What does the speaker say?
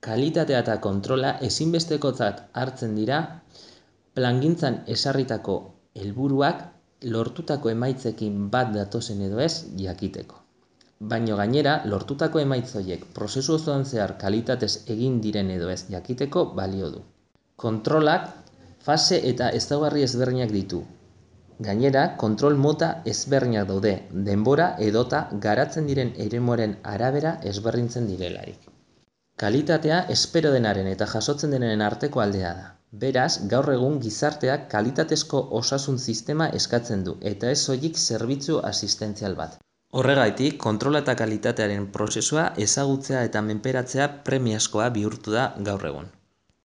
Kalitatea eta kontrola ezinbestekotzat hartzen dira plangintzan ezarritako helburuak lortutako emaitzekin bat datozen edo ez jakiteko. Baina gainera, lortutako emaitz horiek prozesu osoan zehar kalitatez egin diren edo ez jakiteko balio du. Kontrolak fase eta ezaugarri ezberdinak ditu. Gainera, kontrol mota ezberdinak daude, denbora edota garatzen diren eremuaren arabera ezberdintzen direlarik. Kalitatea espero denaren eta jasotzen denaren arteko aldea da. Beraz, gaur egun gizarteak kalitatezko osasun sistema eskatzen du, eta ez soilik zerbitzu asistentzial bat. Horregatik, kontrola eta kalitatearen prozesua ezagutzea eta menperatzea premiazkoa bihurtu da gaur egun.